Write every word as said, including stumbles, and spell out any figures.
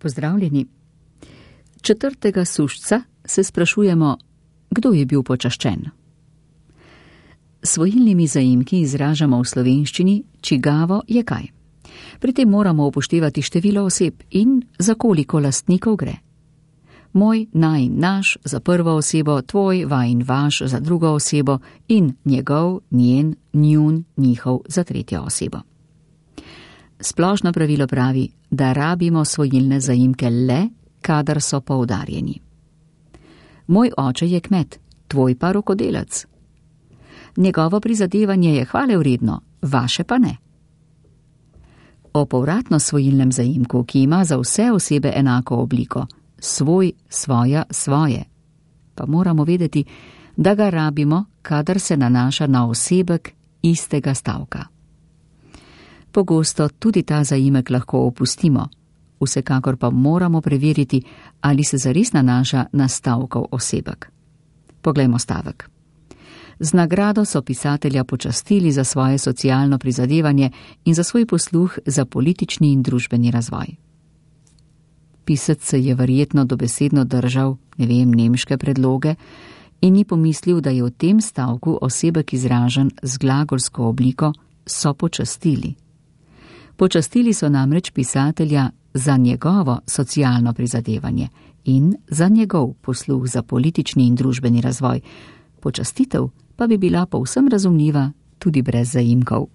Pozdravljeni. Četrtega sušca se sprašujemo, kdo je bil počaščen. Svojilnimi zaimki izražamo v slovenščini, čigavo je kaj. Pri tem moramo upoštevati število oseb in za koliko lastnikov gre. Moj, naj, naš za prvo osebo, tvoj, vajin, vaš za drugo osebo in njegov, njen, njun, njihov za tretjo osebo. Splošno pravilo pravi, da rabimo svojilne zaimke le, kadar so poudarjeni. Moj oče je kmet, tvoj pa rokodelec. Njegovo prizadevanje je hvalevredno, vaše pa ne. O povratno svojilnem zaimku, ki ima za vse osebe enako obliko, svoj, svoja, svoje, pa moramo vedeti, da ga rabimo, kadar se nanaša na osebek istega stavka. Pogosto tudi ta zaimek lahko opustimo, vsekakor pa moramo preveriti, ali se zares nanaša na stavkov osebek. Poglejmo stavek. Z nagrado so pisatelja počastili za svoje socialno prizadevanje in za svoj posluh za politični in družbeni razvoj. Pisec se je verjetno dobesedno držal, ne vem, nemške predloge in ni pomislil, da je v tem stavku osebek izražen z glagolsko obliko so počastili. Počastili so namreč pisatelja za njegovo socialno prizadevanje in za njegov posluh za politični in družbeni razvoj. Počastitev pa bi bila povsem razumljiva tudi brez zaimkov.